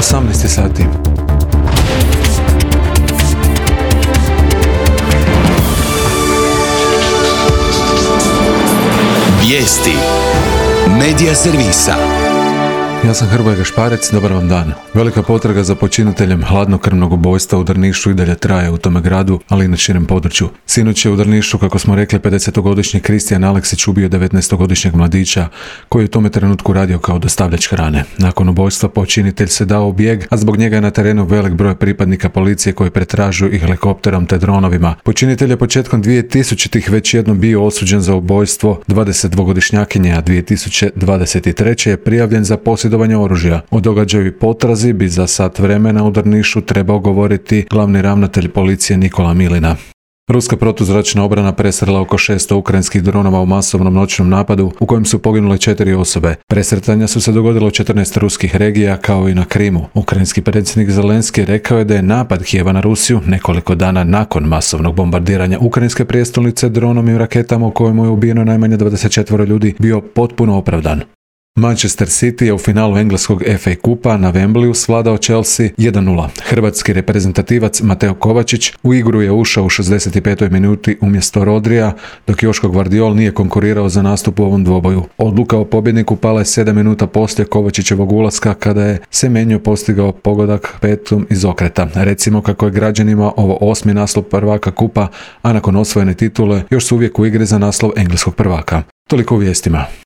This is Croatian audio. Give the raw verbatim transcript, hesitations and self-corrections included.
osamnaest sati. Vijesti Medija servisa. Ja sam Hrvoje Gašparec, dobar vam dan. Velika potraga za počiniteljem hladnokrvnog ubojstva u Drnišu i dalje traje u tome gradu, ali i na širem području. Sinoć je u Drnišu, kako smo rekli, pedesetogodišnji Kristijan Aleksić ubio devetnaestogodišnjeg mladića koji je u tome trenutku radio kao dostavljač hrane. Nakon ubojstva počinitelj se dao u bijeg, a zbog njega je na terenu velik broj pripadnika policije koji pretražuju i helikopterom te dronovima. Počinitelj je početkom dvije tisućitih već jednom bio osuđen za ubojstvo dvadesetdvogodišnjakinje, a dvije tisuće dvadeset treće je prijavljen za posjedovanje oružja. O događaju i potrazi bi za sat vremena u Drnišu trebao govoriti glavni ravnatelj policije Nikola Milina. Ruska protuzračna obrana presrela oko šesto ukrajinskih dronova u masovnom noćnom napadu u kojem su poginule četiri osobe. Presretanja su se dogodila u četrnaest ruskih regija kao i na Krimu. Ukrajinski predsjednik Zelenski rekao je da je napad Kijeva na Rusiju nekoliko dana nakon masovnog bombardiranja ukrajinske prijestolnice dronom i raketama u kojemu je ubijeno najmanje dvadeset četvero ljudi bio potpuno opravdan. Manchester City je u finalu engleskog F A kupa na Wembleyu svladao Chelsea jedan nula. Hrvatski reprezentativac Mateo Kovačić u igru je ušao u šezdeset petoj minuti umjesto Rodrija, dok Joško Gvardiol nije konkurirao za nastup u ovom dvoboju. Odluka o pobjedniku pala je sedam minuta poslije Kovačićevog ulaska kada je Semenyo postigao pogodak petom iz okreta. Recimo kako je građanima ovo osmi naslov prvaka kupa, a nakon osvojene titule još su uvijek u igri za naslov engleskog prvaka. Toliko u vijestima.